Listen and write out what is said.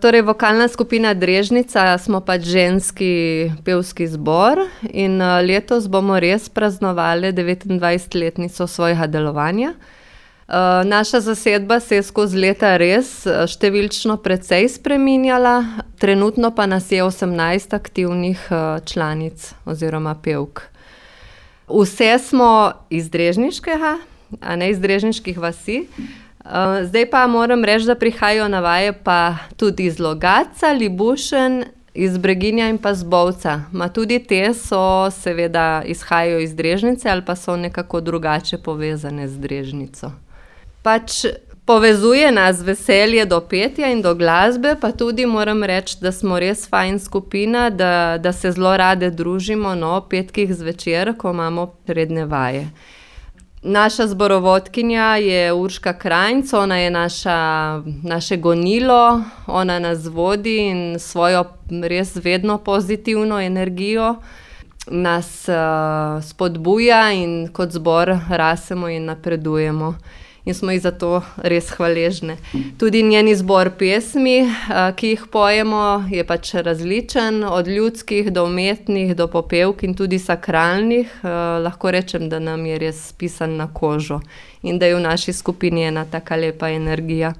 Torej, vokalna skupina Drežnica smo pač ženski pevski zbor in letos bomo res praznovali 29-letnico svojega delovanja. Naša zasedba se je skozi leta res številčno precej spreminjala, trenutno pa nas je 18 aktivnih članic oziroma pevk. Vse smo iz Drežniškega, a ne iz Drežniških vasi. Zdaj pa moram reči, da prihajajo na vaje pa tudi iz Logatca, Libušen, iz Breginja in pa z Bovca. Ma tudi te so seveda izhajajo iz Drežnice ali pa so nekako drugače povezane z Drežnico. Pač povezuje nas veselje do petja in do glasbe, pa tudi moram reči, da smo res fajn skupina, da se zelo rade družimo, ob petkih zvečer, ko imamo redne vaje. Naša zborovodkinja je Urška Krajnc, ona je naše gonilo, ona nas vodi in svojo res vedno pozitivno energijo nas spodbuja in kot zbor rasemo in napredujemo. In smo ji za to res hvaležne. Tudi njen izbor pesmi, ki jih pojemo, je pač različen, od ljudskih do umetnih, do popevk in tudi sakralnih. Lahko rečem, da nam je res pisan na kožo in da je v naši skupini ena taka lepa energija.